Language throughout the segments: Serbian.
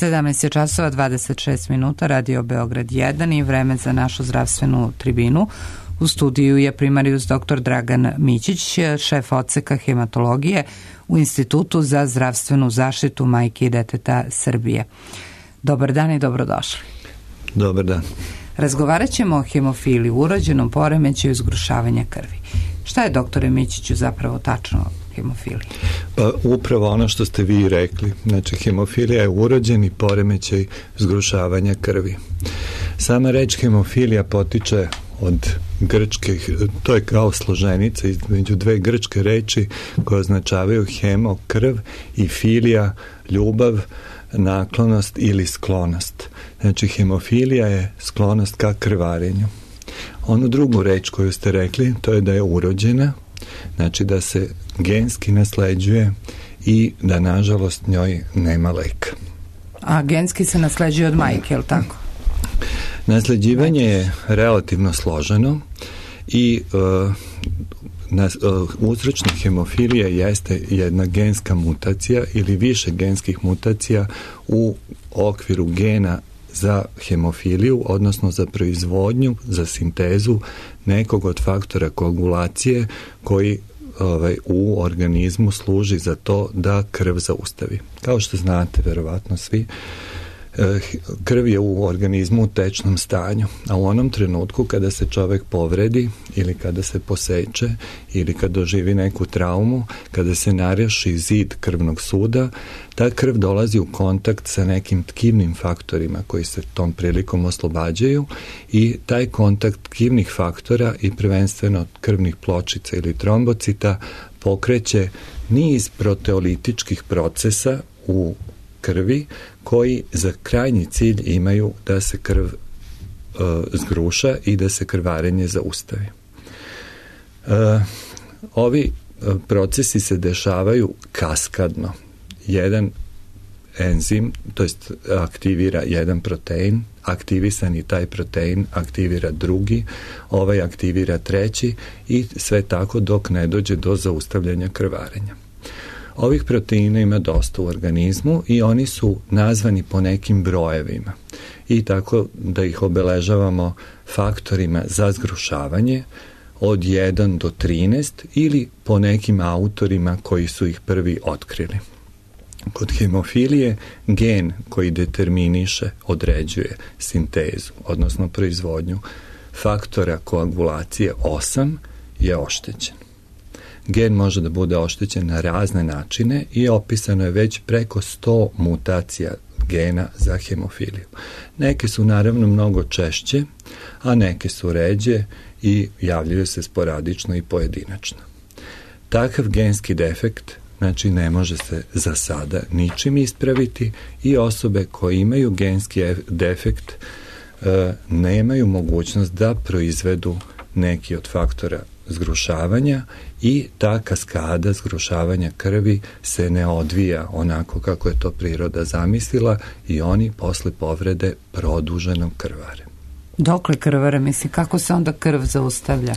17 je časova 26 minuta, Radio Beograd 1 i vreme za našu zdravstvenu tribinu. U studiju je primarijus dr. Dragan Mićić, šef odseka hematologije u Institutu za zdravstvenu zaštitu majke i deteta Srbije. Dobar dan i dobrodošli. Dobar dan. Razgovarat ćemo o hemofiliji, urođenom poremećaju zgrušavanja krvi. Šta je, doktore Mićiću, zapravo tačno hemofilija? Pa upravo ono što ste vi rekli. Znači, hemofilija je urođeni poremećaj zgrušavanja krvi. Sama reč hemofilija potiče od grčke, to je kao složenica između dve grčke reči koje označavaju hemo, krv, i filija, ljubav, naklonost ili sklonost. Znači, hemofilija je sklonost ka krvarenju. Onu drugu reč koju ste rekli, to je da je urođena, znači da se genski nasleđuje i da, nažalost, njoj nema leka. A genski se nasleđuje od majke, je li tako? Nasleđivanje je relativno složeno i uzročnik hemofilije jeste jedna genska mutacija ili više genskih mutacija u okviru gena za hemofiliju, odnosno za proizvodnju, za sintezu nekog od faktora koagulacije koji u organizmu služi za to da krv zaustavi. Kao što znate, verovatno svi, krv je u organizmu u tečnom stanju, a u onom trenutku kada se čovek povredi ili kada se poseče ili kada doživi neku traumu, kada se naruši zid krvnog suda, ta krv dolazi u kontakt sa nekim tkivnim faktorima koji se tom prilikom oslobađaju i taj kontakt tkivnih faktora i prvenstveno krvnih pločica ili trombocita pokreće niz proteolitičkih procesa u krvi koji za krajnji cilj imaju da se krv zgruša i da se krvarenje zaustavi. Ovi procesi se dešavaju kaskadno. Jedan enzim, to jest aktivira jedan protein, aktivisani taj protein aktivira drugi, ovaj aktivira treći i sve tako dok ne dođe do zaustavljanja krvarenja. Ovih proteina ima dosta u organizmu i oni su nazvani po nekim brojevima i tako da ih obeležavamo faktorima za zgrušavanje od 1 do 13 ili po nekim autorima koji su ih prvi otkrili. Kod hemofilije gen koji determiniše, određuje sintezu, odnosno proizvodnju faktora koagulacije 8 je oštećen. Gen može da bude oštećen na razne načine i opisano je već preko 100 mutacija gena za hemofiliju. Neke su naravno mnogo češće, a neke su ređe i javljaju se sporadično i pojedinačno. Takav genski defekt, znači, ne može se za sada ničim ispraviti i osobe koje imaju genski defekt nemaju mogućnost da proizvedu neki od faktora zgrušavanja i ta kaskada zgrušavanja krvi se ne odvija onako kako je to priroda zamislila i oni posle povrede produženo krvare. Dokle krvare, misli, kako se onda krv zaustavlja?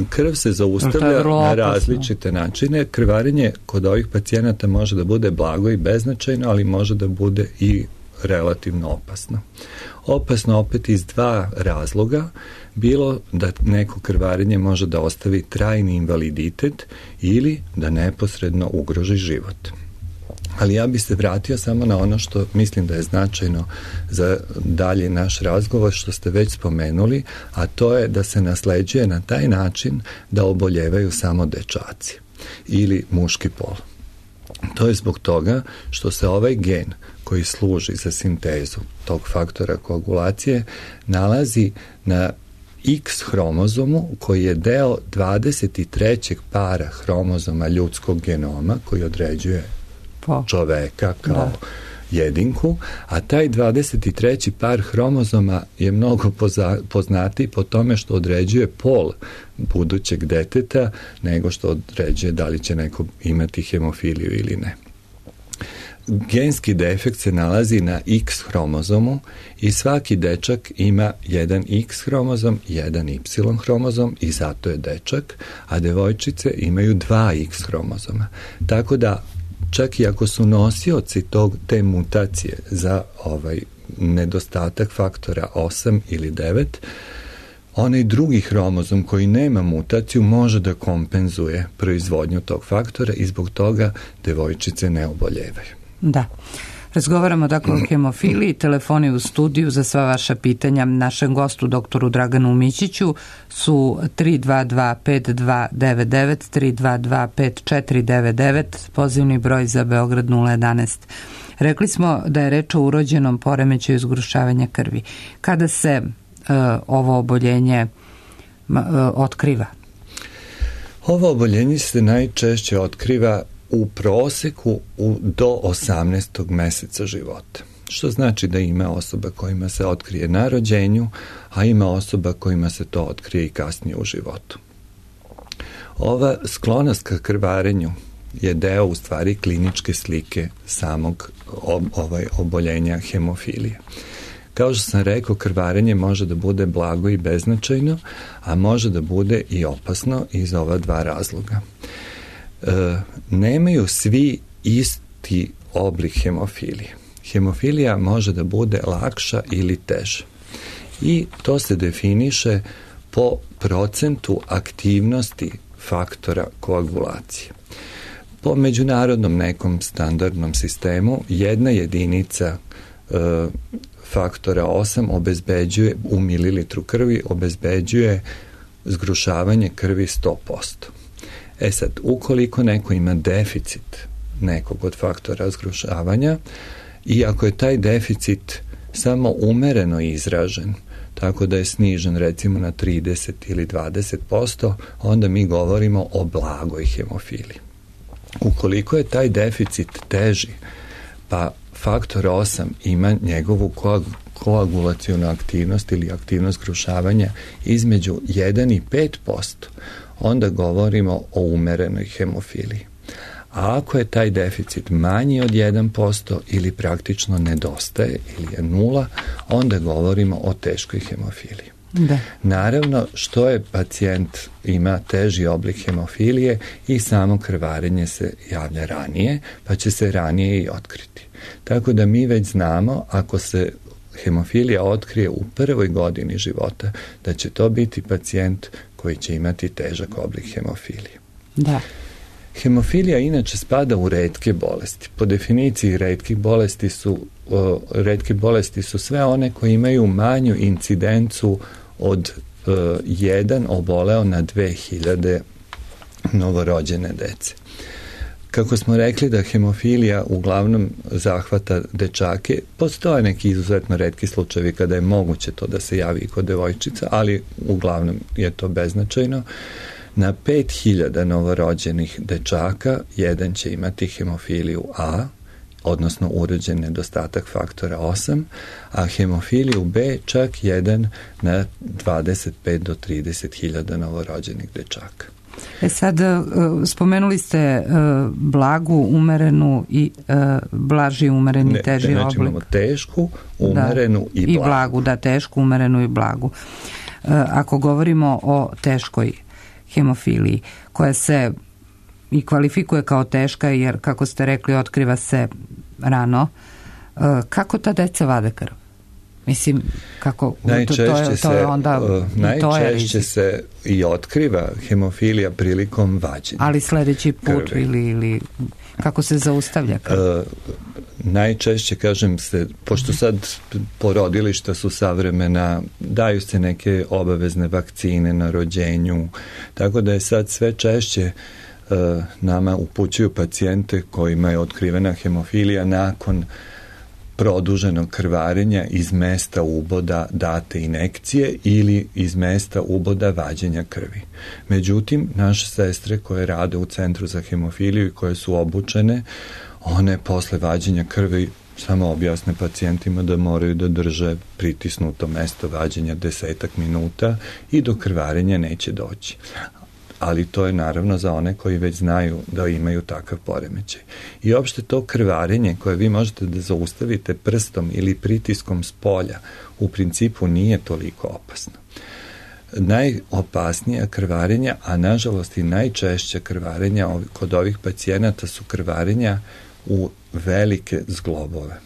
Krv se zaustavlja na različite načine. Krvarenje kod ovih pacijenata može da bude blago i beznačajno, ali može da bude i relativno opasno. Opasno opet iz dva razloga, bilo da neko krvarenje može da ostavi trajni invaliditet ili da neposredno ugroži život. Ali ja bih se vratio samo na ono što mislim da je značajno za dalje naš razgovor, što ste već spomenuli, a to je da se nasleđuje na taj način da oboljevaju samo dečaci ili muški pol. To je zbog toga što se ovaj gen koji služi za sintezu tog faktora koagulacije nalazi na X hromozomu koji je deo 23. para hromozoma ljudskog genoma koji određuje čoveka kao jedinku, a taj 23. par hromozoma je mnogo poznatiji po tome što određuje pol budućeg deteta nego što određuje da li će neko imati hemofiliju ili ne. Genski defekt se nalazi na X hromozomu i svaki dečak ima jedan X hromozom, jedan Y hromozom i zato je dečak, a devojčice imaju 2 X hromozoma. Tako da čak i ako su nosioci te mutacije za nedostatak faktora 8 ili 9, onaj drugi hromozom koji nema mutaciju može da kompenzuje proizvodnju tog faktora i zbog toga devojčice ne oboljevaju. Da. Razgovaramo dakle o hemofiliji, telefoni u studiju za sva vaša pitanja našem gostu doktoru Draganu Mićiću su 322-5299, 322-5499, pozivni broj za Beograd 011. Rekli smo da je reč o urođenom poremećaju zgrušavanja krvi. Kada se ovo oboljenje otkriva? Ovo oboljenje se najčešće otkriva u proseku do 18. meseca života. Što znači da ima osoba kojima se otkrije na rođenju, a ima osoba kojima se to otkrije i kasnije u životu. Ova sklonost ka krvarenju je deo u stvari kliničke slike samog oboljenja hemofilije. Kao što sam rekao, krvarenje može da bude blago i beznačajno, a može da bude i opasno iz ova dva razloga. Nemaju svi isti oblik hemofilije. Hemofilija može da bude lakša ili teža. I to se definiše po procentu aktivnosti faktora koagulacije. Po međunarodnom nekom standardnom sistemu, jedna jedinica faktora 8 obezbeđuje u mililitru krvi, obezbeđuje zgrušavanje krvi 100%. Sad, ukoliko neko ima deficit nekog od faktora zgrušavanja i ako je taj deficit samo umereno izražen, tako da je snižen recimo na 30 ili 20%, onda mi govorimo o blagoj hemofiliji. Ukoliko je taj deficit teži, pa faktor 8 ima njegovu koagulacionu aktivnost ili aktivnost zgrušavanja između 1 i 5%, onda govorimo o umerenoj hemofiliji. A ako je taj deficit manji od 1% ili praktično nedostaje ili je 0, onda govorimo o teškoj hemofiliji. Da. Naravno, što je pacijent ima teži oblik hemofilije i samo krvarenje se javlja ranije, pa će se ranije i otkriti. Tako da mi već znamo, ako se hemofilija otkrije u prvoj godini života, da će to biti pacijent koji će imati težak oblik hemofilije. Da. Hemofilija inače spada u retke bolesti. Po definiciji retke bolesti su sve one koje imaju manju incidencu od 1 oboleo na 2000 novorođene dece. Kako smo rekli da hemofilija uglavnom zahvata dečake, postoje neki izuzetno retki slučajevi kada je moguće to da se javi i kod devojčica, ali uglavnom je to beznačajno. Na 5000 novorođenih dečaka, jedan će imati hemofiliju A, odnosno urođen nedostatak faktora 8, a hemofiliju B čak jedan na 25 do 30.000 novorođenih dečaka. Sad, spomenuli ste blagu, umerenu i blaži, umereni, teži oblik. Znači imamo tešku, umerenu i blagu. I blagu, da, tešku, umerenu i blagu. Ako govorimo o teškoj hemofiliji, koja se i kvalifikuje kao teška, jer, kako ste rekli, otkriva se rano, kako ta deca vade krv? Mislim, kako najčešće se i otkriva hemofilija prilikom vađenja. Ali sledeći put ili kako se zaustavlja krv? Najčešće, kažem se, pošto sad porodilišta su savremena, daju se neke obavezne vakcine na rođenju, tako da je sad sve češće nama upućuju pacijente kojima je otkrivena hemofilija nakon produženog krvarenja iz mesta uboda date injekcije ili iz mesta uboda vađenja krvi. Međutim, naše sestre koje rade u Centru za hemofiliju i koje su obučene, one posle vađenja krvi samo objasne pacijentima da moraju da drže pritisnuto mesto vađenja 10 minuta i do krvarenja neće doći. Ali to je naravno za one koji već znaju da imaju takav poremećaj. I uopšte to krvarenje koje vi možete da zaustavite prstom ili pritiskom s polja u principu nije toliko opasno. najopasnija krvarenja, a nažalost i najčešća krvarenja kod ovih pacijenata su krvarenja u velike zglobove.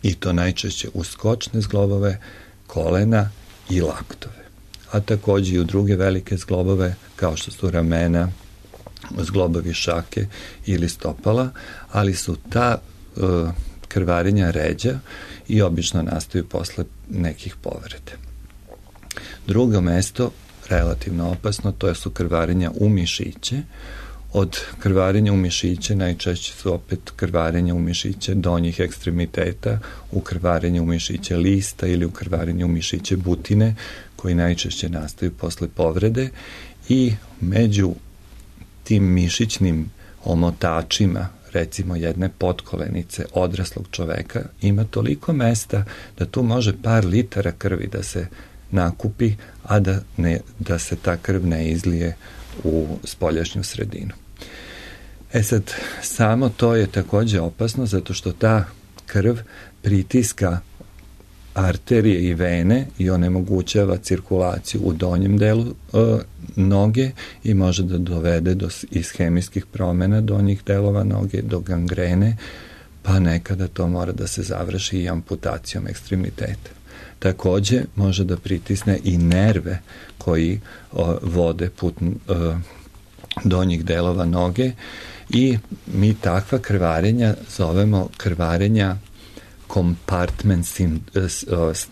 I to najčešće u skočne zglobove, kolena i laktove. A takođe i u druge velike zglobove, kao što su ramena, zglobovi šake ili stopala, ali su ta krvarenja ređa i obično nastaju posle nekih povrede. Drugo mesto, relativno opasno, to su krvarenja u mišiće. Od krvarenja u mišiće najčešće su opet krvarenja u mišiće donjih ekstremiteta, u krvarenja u mišiće lista ili u krvarenja u mišiće butine, koji najčešće nastaju posle povrede, i među tim mišićnim omotačima, recimo jedne potkolenice odraslog čoveka, ima toliko mesta da tu može par litara krvi da se nakupi, a da se ta krv ne izlije u spoljašnju sredinu. Sad, samo to je takođe opasno, zato što ta krv pritiska arterije i vene i onemogućava cirkulaciju u donjem delu noge i može da dovede do ishemijskih promena donjih delova noge, do gangrene, pa nekada to mora da se završi i amputacijom ekstremiteta. Takođe može da pritisne i nerve koji vode put donjih delova noge i mi takva krvarenja zovemo krvarenja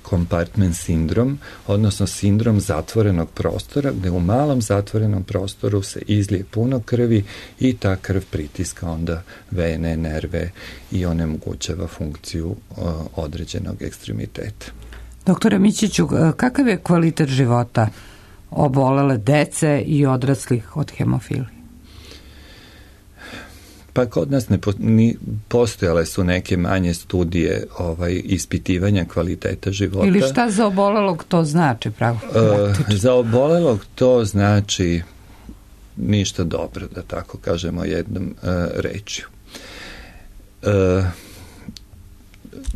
kompartment sindrom, odnosno sindrom zatvorenog prostora, gde u malom zatvorenom prostoru se izlije puno krvi i ta krv pritiska onda vene, nerve i onemogućava funkciju određenog ekstremiteta. Doktore Mićiću, kakav je kvalitet života obolele dece i odraslih od hemofilije? Pa kod nas postojale su neke manje studije ispitivanja kvaliteta života. Ili šta za obolelog to znači pravo? Za obolelog to znači ništa dobro, da tako kažemo jednom rečju.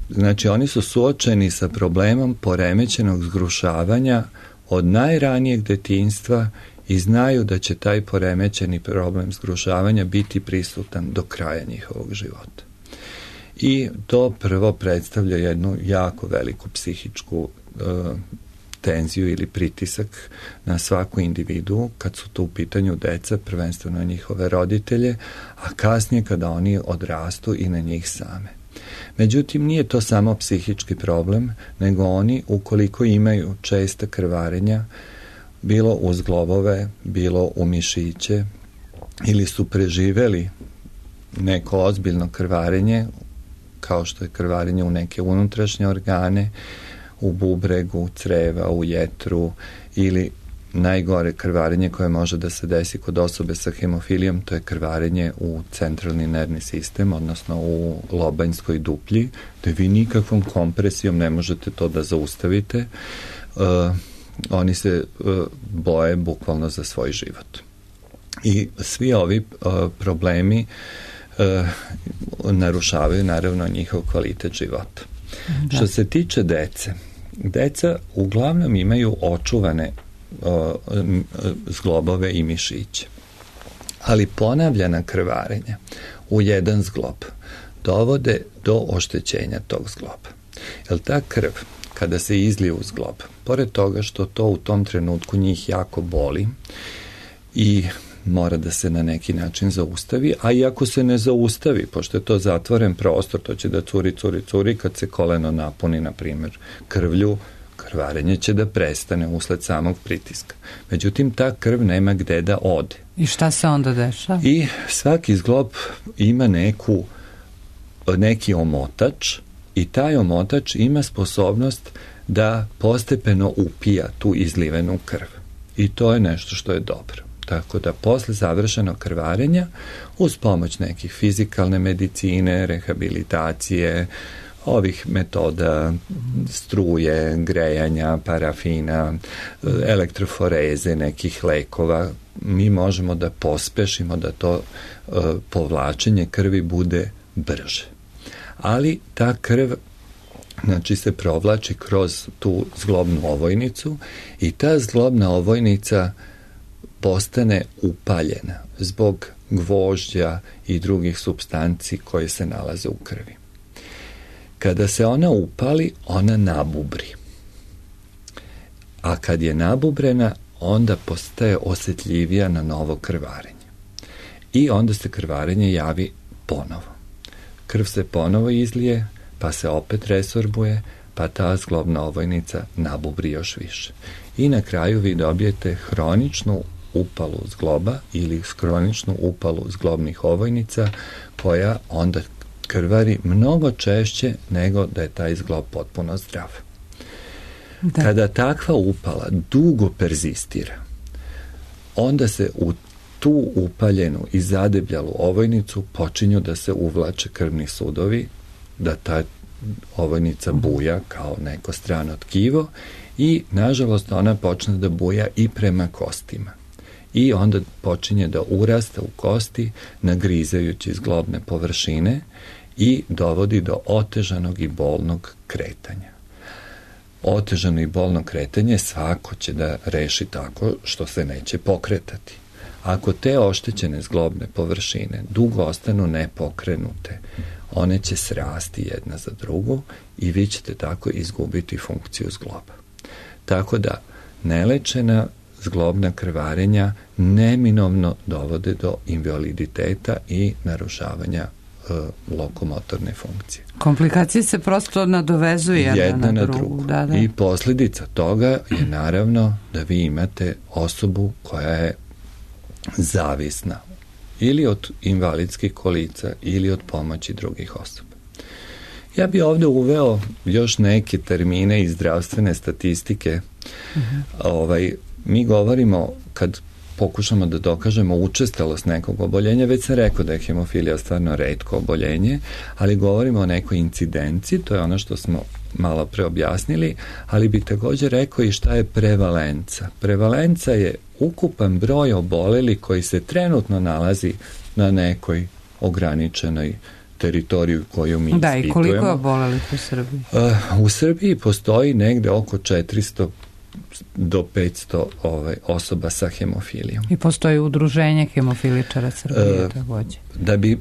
Znači, oni su suočeni sa problemom poremećenog zgrušavanja od najranijeg detinjstva i znaju da će taj poremećeni problem zgrušavanja biti prisutan do kraja njihovog života. I to prvo predstavlja jednu jako veliku psihičku tenziju ili pritisak na svaku individu kad su tu u pitanju deca, prvenstveno njihove roditelje, a kasnije kada oni odrastu i na njih same. Međutim, nije to samo psihički problem, nego oni, ukoliko imaju česta krvarenja, bilo u zglobove, bilo u mišiće, ili su preživeli neko ozbiljno krvarenje, kao što je krvarenje u neke unutrašnje organe, u bubregu, creva, u jetru, ili najgore krvarenje koje može da se desi kod osobe sa hemofilijom, to je krvarenje u centralni nervni sistem, odnosno u lobanjskoj duplji, gde vi nikakvom kompresijom ne možete to da zaustavite. Oni se boje bukvalno za svoj život. I svi ovi problemi narušavaju naravno njihov kvalitet života. Da. Što se tiče dece, deca uglavnom imaju očuvane zglobove i mišiće. Ali ponavljana krvarenja u jedan zglob dovode do oštećenja tog zgloba. Jer ta krv, kada se izlije u zglob, pored toga što to u tom trenutku njih jako boli i mora da se na neki način zaustavi, a i ako se ne zaustavi, pošto je to zatvoren prostor, to će da curi, kad se koleno napuni, na primjer, krvlju, krvarenje će da prestane usled samog pritiska. Međutim, ta krv nema gde da ode. I šta se onda dešava? I svaki zglob ima neki omotač i taj omotač ima sposobnost da postepeno upija tu izlivenu krv. I to je nešto što je dobro. Tako da posle završenog krvarenja, uz pomoć nekih fizikalne medicine, rehabilitacije, ovih metoda struje, grejanja, parafina, elektroforeze, nekih lekova, mi možemo da pospešimo da to povlačenje krvi bude brže. Ali ta krv znači se provlači kroz tu zglobnu ovojnicu i ta zglobna ovojnica postane upaljena zbog gvožđa i drugih supstanci koje se nalaze u krvi. Kada se ona upali, ona nabubri. A kad je nabubrena, onda postaje osjetljivija na novo krvarenje. I onda se krvarenje javi ponovo. Krv se ponovo izlije, pa se opet resorbuje, pa ta zglobna ovojnica nabubri još više. I na kraju vi dobijete hroničnu upalu zgloba ili hroničnu upalu zglobnih ovojnica koja onda krvari mnogo češće nego da je taj zglob potpuno zdrav. Da. Kada takva upala dugo perzistira, onda se u tu upaljenu i zadebljalu ovojnicu počinju da se uvlače krvni sudovi, da ta ovojnica buja kao neko strano tkivo i nažalost ona počne da buja i prema kostima. I onda počinje da urasta u kosti nagrizajući zglobne površine i dovodi do otežanog i bolnog kretanja. Otežano i bolno kretanje svako će da reši tako što se neće pokretati. Ako te oštećene zglobne površine dugo ostanu nepokrenute, one će srasti jedna za drugu i vi ćete tako izgubiti funkciju zgloba. Tako da nelečena zglobna krvarenja neminovno dovode do invaliditeta i narušavanja lokomotorne funkcije. Komplikacije se prosto nadovezuju jedna na drugu. Da. I posljedica toga je naravno da vi imate osobu koja je zavisna ili od invalidskih kolica ili od pomoći drugih osoba. Ja bi ovdje uveo još neke termine iz zdravstvene statistike. Mi govorimo, kad pokušamo da dokažemo učestalost nekog oboljenja, već sam rekao da je hemofilija stvarno retko oboljenje, ali govorimo o nekoj incidenciji, to je ono što smo malo pre objasnili, ali bih također rekao i šta je prevalenca. Prevalenca je ukupan broj oboleli koji se trenutno nalazi na nekoj ograničenoj teritoriju koju mi ispitujemo. Da, i koliko je obolelih u Srbiji? U Srbiji postoji negde oko 400 do 500 osoba sa hemofilijom. I postoji udruženje hemofiličara Srbije također. Da bi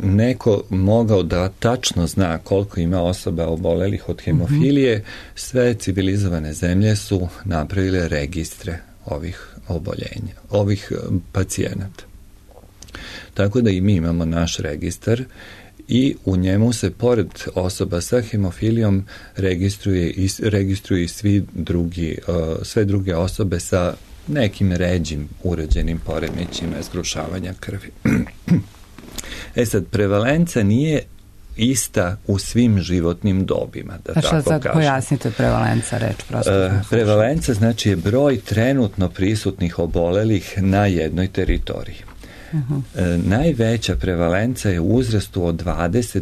neko mogao da tačno zna koliko ima osoba obolelih od hemofilije, sve civilizovane zemlje su napravile registre ovih oboljenja, ovih pacijenata. Tako da i mi imamo naš registar i u njemu se pored osoba sa hemofilijom registruju i sve druge osobe sa nekim ređim uređenim poremećima zgrušavanja krvi. Sad, prevalenca nije ista u svim životnim dobima, da tako kažem. Sad pojasnite prevalenca, reč prosto. Prevalenca znači je broj trenutno prisutnih obolelih na jednoj teritoriji. Najveća prevalenca je u uzrastu od 20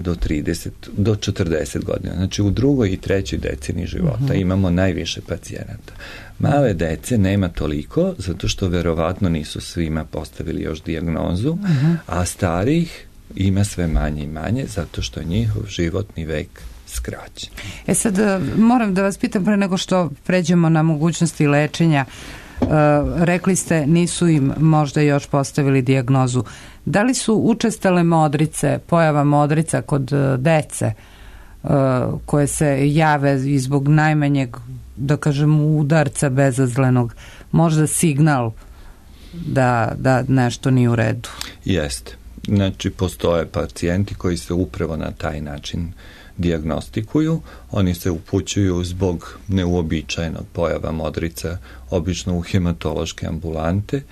do 40 godina. Znači u drugoj i trećoj deceniji života imamo najviše pacijenata. Male dece nema toliko, zato što verovatno nisu svima postavili još dijagnozu, a starih ima sve manje i manje, zato što je njihov životni vek skraćen. Sad moram da vas pitam pre nego što pređemo na mogućnosti lečenja. Rekli ste nisu im možda još postavili dijagnozu. Da li su učestale modrice, pojava modrica kod dece koje se jave i zbog najmanjeg, da kažem, udarca bezazlenog, možda signal da nešto nije u redu? Jeste. Znači, postoje pacijenti koji se upravo na taj način dijagnostikuju. Oni se upućuju zbog neuobičajenog pojava modrica, obično u hematološke ambulante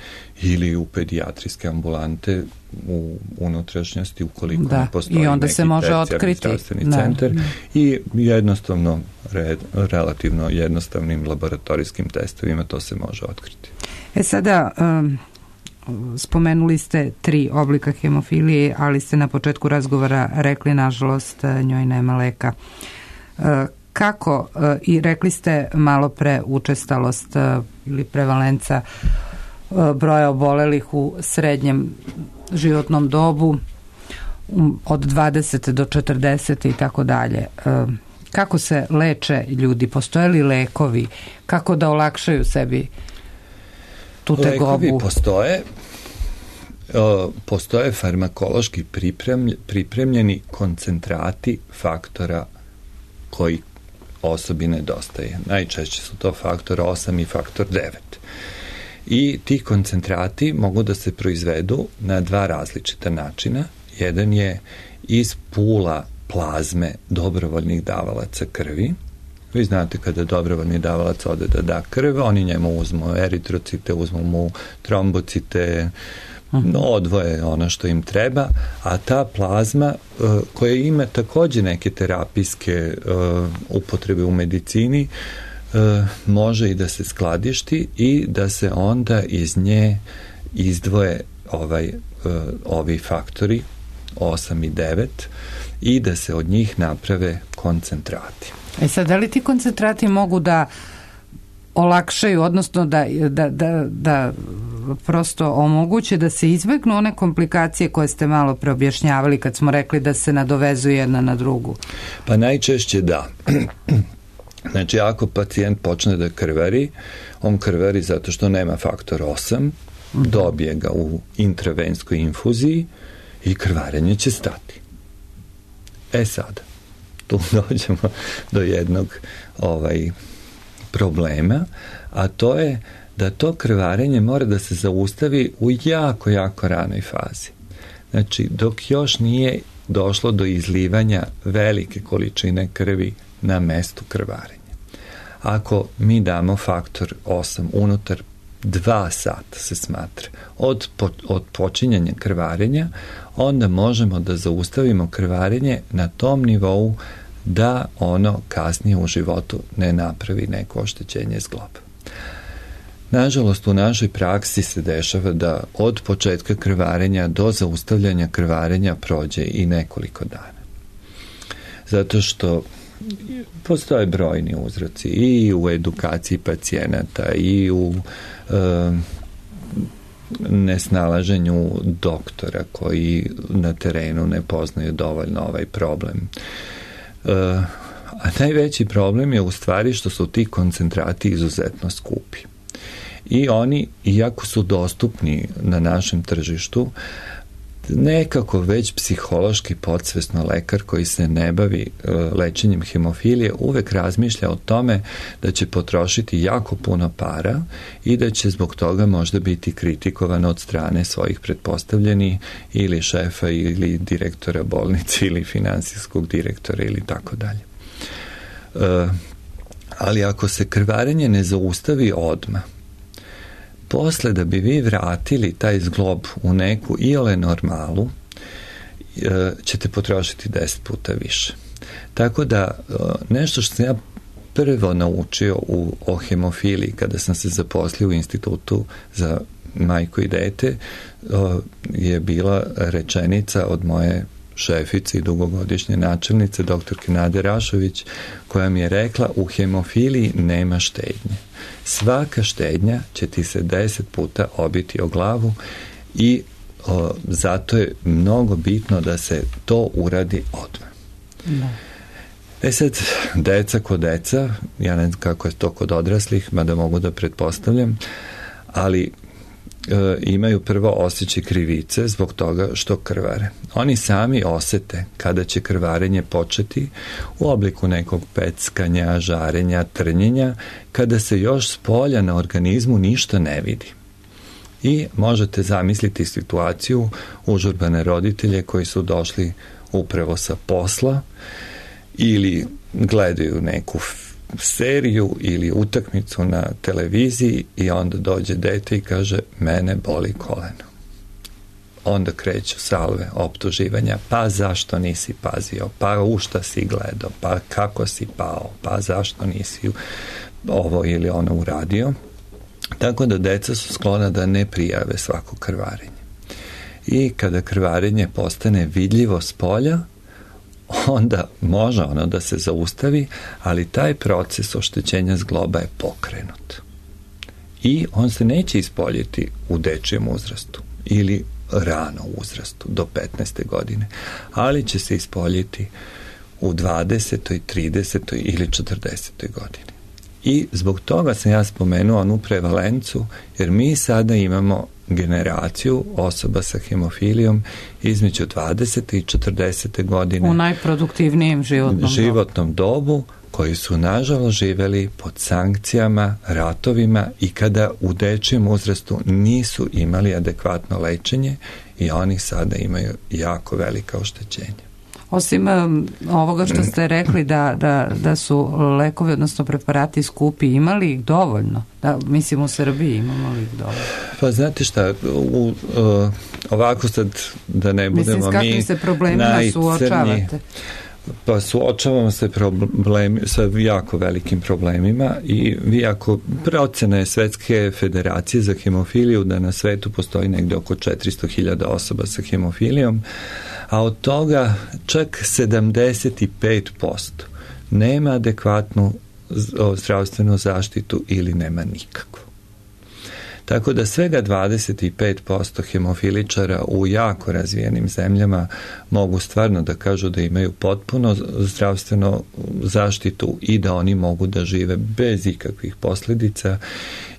ili u pedijatrijske ambulante u unutrašnjosti, ukoliko ne postoji neki tercijarni zdravstveni centar. I jednostavno, relativno jednostavnim laboratorijskim testovima to se može otkriti. Sada spomenuli ste 3 oblika hemofilije, ali ste na početku razgovora rekli, nažalost, njoj nema leka. Kako, i rekli ste malo pre učestalost ili prevalenca broja obolelih u srednjem životnom dobu od 20 do 40 i tako dalje. Kako se leče ljudi? Postoje li lekovi? Kako da olakšaju sebi tu tegobu? Lekovi postoje farmakološki pripremljeni koncentrati faktora koji osobi nedostaje. Najčešće su to faktor 8 i faktor 9. I ti koncentrati mogu da se proizvedu na dva različita načina. Jedan je iz pula plazme dobrovoljnih davalaca krvi. Vi znate kada dobrovoljni davalac ode da da krv, oni njemu uzmu eritrocite, uzmu mu trombocite, odvoje ono što im treba, a ta plazma koja ima takođe neke terapijske upotrebe u medicini može i da se skladišti i da se onda iz nje izdvoje ovi faktori 8 i 9 i da se od njih naprave koncentrati. Sad, da li ti koncentrati mogu da olakšaju, odnosno da prosto omoguće da se izbegnu one komplikacije koje ste malo preobjašnjavali kad smo rekli da se nadovezuju jedna na drugu? Pa najčešće da. Znači, ako pacijent počne da krvari, on krvari zato što nema faktor 8, dobije ga u intravenskoj infuziji i krvarenje će stati. Sad, tu dođemo do jednog problema, a to je da to krvarenje mora da se zaustavi u jako, jako ranoj fazi. Znači, dok još nije došlo do izlivanja velike količine krvi na mestu krvarenja. Ako mi damo faktor 8 unutar 2 sata se smatra od počinjanja krvarenja, onda možemo da zaustavimo krvarenje na tom nivou da ono kasnije u životu ne napravi neko oštećenje zgloba. Nažalost, u našoj praksi se dešava da od početka krvarenja do zaustavljanja krvarenja prođe i nekoliko dana. Zato što postoje brojni uzroci i u edukaciji pacijenata i u nesnalaženju doktora koji na terenu ne poznaju dovoljno ovaj problem. A najveći problem je u stvari što su ti koncentrati izuzetno skupi. I oni, iako su dostupni na našem tržištu, nekako već psihološki podsvesno lekar koji se ne bavi lečenjem hemofilije uvek razmišlja o tome da će potrošiti jako puno para i da će zbog toga možda biti kritikovan od strane svojih pretpostavljenih ili šefa ili direktora bolnice ili finansijskog direktora ili tako dalje. Ali ako se krvarenje ne zaustavi odmah, posle da bi vi vratili taj zglob u neku iole normalu, ćete potrošiti 10 puta više. Tako da nešto što sam ja prvo naučio o hemofiliji kada sam se zaposlio u institutu za majku i dete je bila rečenica od moje šefice i dugogodišnje načelnice, doktorke Nade Rašović, koja mi je rekla: u hemofiliji nema štednje. Svaka štednja će ti se 10 puta obiti o glavu i zato je mnogo bitno da se to uradi odmah. Da. Sad, deca ko deca, ja ne znam kako je to kod odraslih, mada mogu da pretpostavljam, ali imaju prvo osjećaj krivice zbog toga što krvare. Oni sami osete kada će krvarenje početi u obliku nekog peckanja, žarenja, trnjenja, kada se još s polja na organizmu ništa ne vidi. I možete zamisliti situaciju užurbane roditelje koji su došli upravo sa posla ili gledaju neku seriju ili utakmicu na televiziji i onda dođe dete i kaže: mene boli koleno. Onda kreću salve optuživanja: pa zašto nisi pazio, pa u šta si gledao, pa kako si pao, pa zašto nisi ovo ili ono uradio. Tako da deca su sklona da ne prijave svako krvarenje. I kada krvarenje postane vidljivo s polja, onda može ono da se zaustavi, ali taj proces oštećenja zgloba je pokrenut. I on se neće ispoljiti u dečijem uzrastu ili rano uzrastu, do 15. godine, ali će se ispoljiti u 20., 30. ili 40. godini. I zbog toga sam ja spomenuo onu prevalencu, jer mi sada imamo generaciju osoba sa hemofilijom između 20. i 40. godine. U najproduktivnijem životnom dobu, koji su nažalost živeli pod sankcijama, ratovima i kada u dečijem uzrastu nisu imali adekvatno lečenje i oni sada imaju jako velika oštećenja. Osim ovoga što ste rekli da su lekovi, odnosno preparati skupi, imali ih dovoljno? Mislim, u Srbiji imamo li ih dovoljno? Pa znate šta, ovako sad da ne budemo mi najcrnji. Mislim, s kakvim se problemima suočavate? Pa suočavamo se sa jako velikim problemima i vi ako procena je Svetske federacije za hemofiliju da na svetu postoji negde oko 400.000 osoba sa hemofilijom, a od toga čak 75% nema adekvatnu zdravstvenu zaštitu ili nema nikakvu. Tako da svega 25% hemofiličara u jako razvijenim zemljama mogu stvarno da kažu da imaju potpuno zdravstvenu zaštitu i da oni mogu da žive bez ikakvih posljedica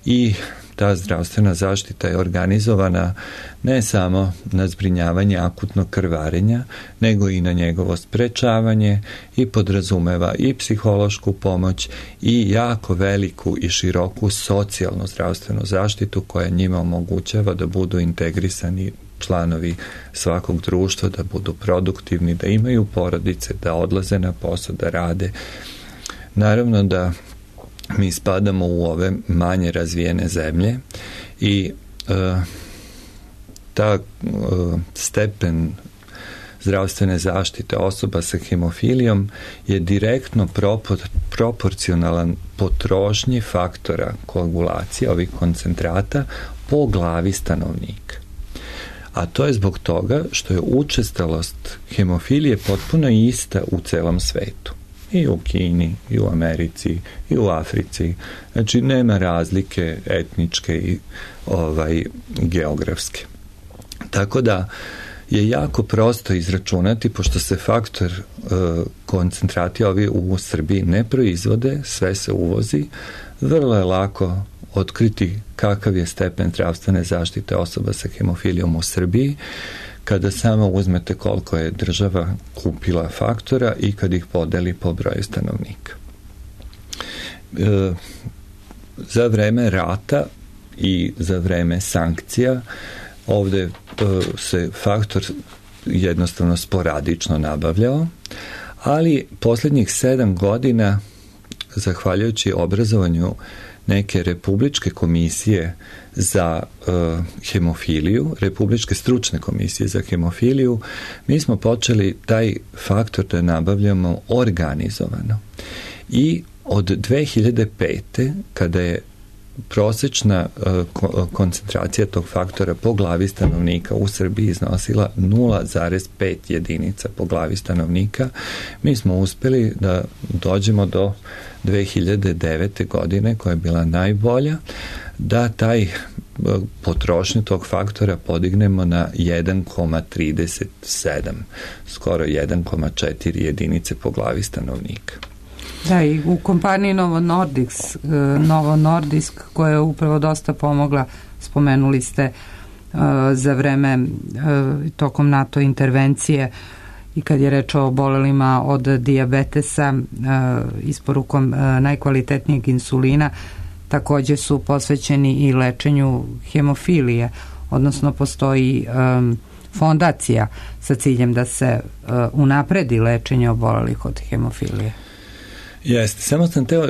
i ta zdravstvena zaštita je organizovana ne samo na zbrinjavanje akutnog krvarenja, nego i na njegovo sprečavanje i podrazumeva i psihološku pomoć i jako veliku i široku socijalnu zdravstvenu zaštitu koja njima omogućava da budu integrisani članovi svakog društva, da budu produktivni, da imaju porodice, da odlaze na posao, da rade. Naravno da mi spadamo u ove manje razvijene zemlje i ta stepen zdravstvene zaštite osoba sa hemofilijom je direktno proporcionalan potrošnji faktora koagulacije ovih koncentrata po glavi stanovnika. A to je zbog toga što je učestalost hemofilije potpuno ista u celom svetu. I u Kini, i u Americi, i u Africi. Znači, nema razlike etničke i geografske. Tako da je jako prosto izračunati, pošto se faktor koncentrati ovi u Srbiji ne proizvode, sve se uvozi, vrlo je lako otkriti kakav je stepen zdravstvene zaštite osoba sa hemofilijom u Srbiji, kada samo uzmete koliko je država kupila faktora i kad ih podeli po broju stanovnika. Za vreme rata i za vreme sankcija ovde se faktor jednostavno sporadično nabavljao, ali posljednjih 7 godina, zahvaljujući obrazovanju neke republičke komisije za hemofiliju, republičke stručne komisije za hemofiliju, mi smo počeli taj faktor da nabavljamo organizovano. I od 2005. kada je prosječna koncentracija tog faktora po glavi stanovnika u Srbiji iznosila 0,5 jedinica po glavi stanovnika, mi smo uspeli da dođemo do 2009. godine, koja je bila najbolja, da taj potrošnju tog faktora podignemo na 1,37, skoro 1,4 jedinice po glavi stanovnika. Da, i u kompaniji Novo Nordisk, koja je upravo dosta pomogla, spomenuli ste za vreme tokom NATO intervencije i kad je reč o obolelima od dijabetesa isporukom najkvalitetnijeg insulina, također su posvećeni i lečenju hemofilije, odnosno postoji fondacija sa ciljem da se unapredi lečenje obolelih od hemofilije. Jeste, samo sam teo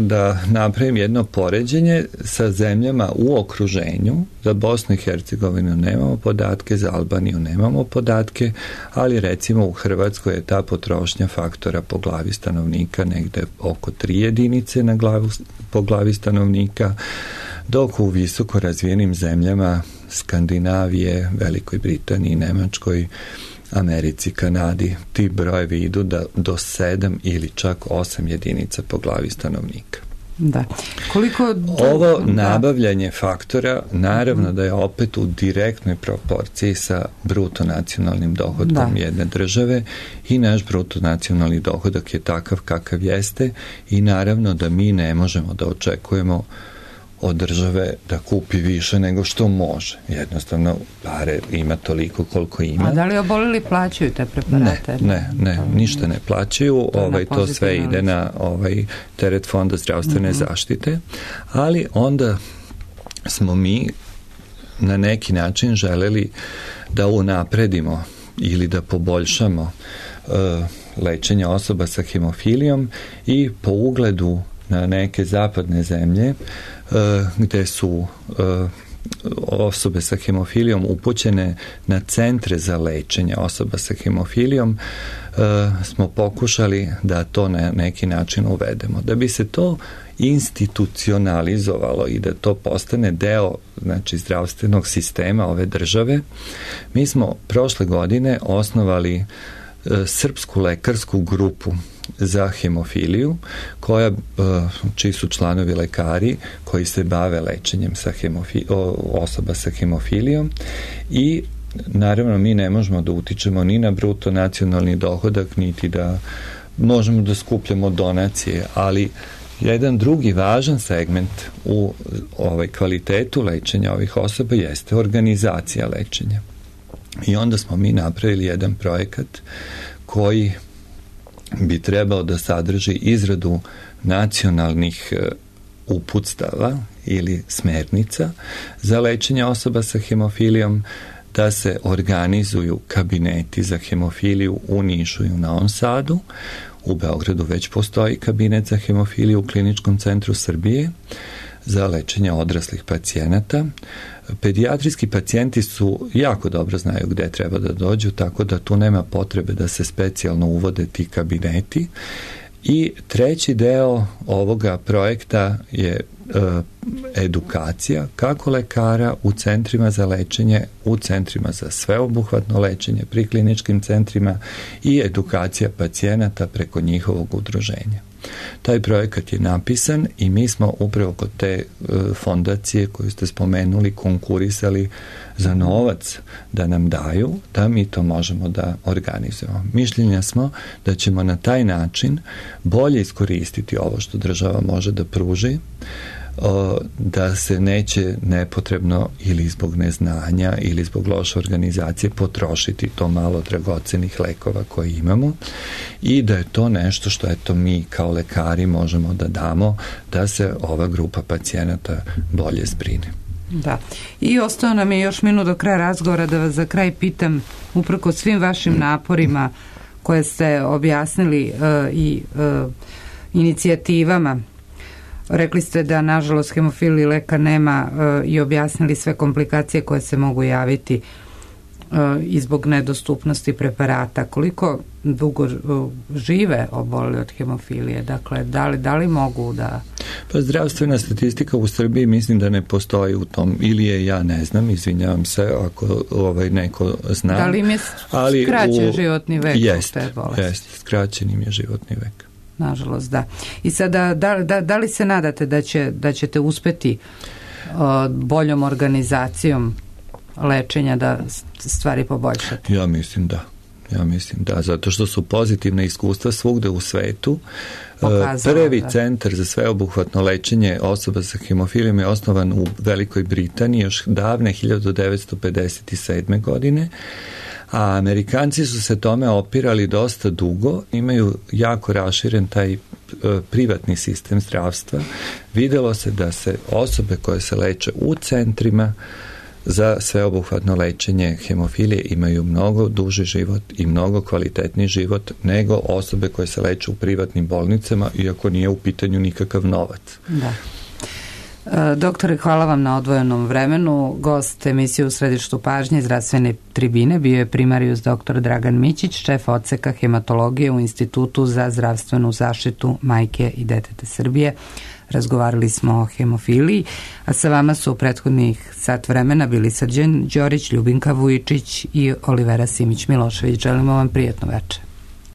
da napravim jedno poređenje sa zemljama u okruženju. Za Bosnu i Hercegovinu nemamo podatke, za Albaniju nemamo podatke, ali recimo u Hrvatskoj je ta potrošnja faktora po glavi stanovnika negde oko 3 jedinice po glavi stanovnika, dok u visoko razvijenim zemljama Skandinavije, Velikoj Britaniji, Nemačkoj, Americi, Kanadi, ti brojevi idu do 7 ili čak 8 jedinica po glavi stanovnika. Da. Ovo nabavljanje faktora naravno da je opet u direktnoj proporciji sa bruto nacionalnim dohodkom jedne države i naš bruto nacionalni dohodak je takav kakav jeste i naravno da mi ne možemo da očekujemo od države da kupi više nego što može. Jednostavno, pare ima toliko koliko ima. A da li oboleli plaćaju te preparate? Ne, ništa ne plaćaju. To sve ide na teret Fonda zdravstvene zaštite, ali onda smo mi na neki način želeli da unapredimo ili da poboljšamo lečenje osoba sa hemofilijom i po ugledu na neke zapadne zemlje gde su osobe sa hemofilijom upućene na centre za lečenje osoba sa hemofilijom, smo pokušali da to na neki način uvedemo. Da bi se to institucionalizovalo i da to postane deo zdravstvenog sistema ove države, mi smo prošle godine osnovali srpsku lekarsku grupu za hemofiliju, čiji su članovi lekari koji se bave lečenjem osoba sa hemofilijom i naravno mi ne možemo da utičemo ni na bruto nacionalni dohodak, niti da možemo da skupljamo donacije, ali jedan drugi važan segment u kvalitetu lečenja ovih osoba jeste organizacija lečenja. I onda smo mi napravili jedan projekat koji bi trebao da sadrži izradu nacionalnih uputstava ili smernica za lečenje osoba sa hemofilijom, da se organizuju kabineti za hemofiliju u Nišu i u Novom Sadu. U Beogradu već postoji kabinet za hemofiliju u Kliničkom centru Srbije za lečenje odraslih pacijenata. Pedijatrijski pacijenti jako dobro znaju gde treba da dođu, tako da tu nema potrebe da se specijalno uvode ti kabineti. I treći deo ovoga projekta je edukacija kako lekara u centrima za lečenje, u centrima za sveobuhvatno lečenje, pri kliničkim centrima i edukacija pacijenata preko njihovog udruženja. Taj projekat je napisan i mi smo upravo kod te fondacije koju ste spomenuli konkurisali za novac da nam daju, da mi to možemo da organizujemo. Mišljenja smo da ćemo na taj način bolje iskoristiti ovo što država može da pruži, da se neće nepotrebno ili zbog neznanja ili zbog loše organizacije potrošiti to malo dragocenih lekova koje imamo i da je to nešto što mi kao lekari možemo da damo da se ova grupa pacijenata bolje zbrine. Da. I ostao nam je još minut do kraja razgovora da vas za kraj pitam, uprkos svim vašim naporima koje ste objasnili i inicijativama. Rekli ste da nažalost hemofiliji lekar nema i objasnili sve komplikacije koje se mogu javiti i zbog nedostupnosti preparata. Koliko dugo žive oboleli od hemofilije? Dakle, da li mogu da... Pa zdravstvena statistika u Srbiji mislim da ne postoji u tom, ili je ja ne znam, izvinjavam se ako neko zna. Da li im je skraćen životni vek? Jeste, skraćen im je životni vek. Nažalost, da. I sada, da li se nadate da ćete uspeti boljom organizacijom lečenja da stvari poboljšate? Ja mislim da, zato što su pozitivna iskustva svugde u svetu. Prvi centar za sveobuhvatno lečenje osoba sa hemofilijom je osnovan u Velikoj Britaniji još davne 1957. godine, a Amerikanci su se tome opirali dosta dugo, imaju jako raširen taj privatni sistem zdravstva. Videlo se da se osobe koje se leče u centrima za sveobuhvatno lečenje hemofilije imaju mnogo duži život i mnogo kvalitetniji život nego osobe koje se leče u privatnim bolnicama, iako nije u pitanju nikakav novac. Da. Doktore, hvala vam na odvojenom vremenu. Gost emisije U središtu pažnje zdravstvene tribine bio je primarijus dr. Dragan Mićić, šef odseka hematologije u Institutu za zdravstvenu zaštitu majke i deteta Srbije. Razgovarali smo o hemofiliji, a sa vama su u prethodnih sat vremena bili Srđan Đorić, Ljubinka Vujičić i Olivera Simić-Milošević. Želimo vam prijatno večer.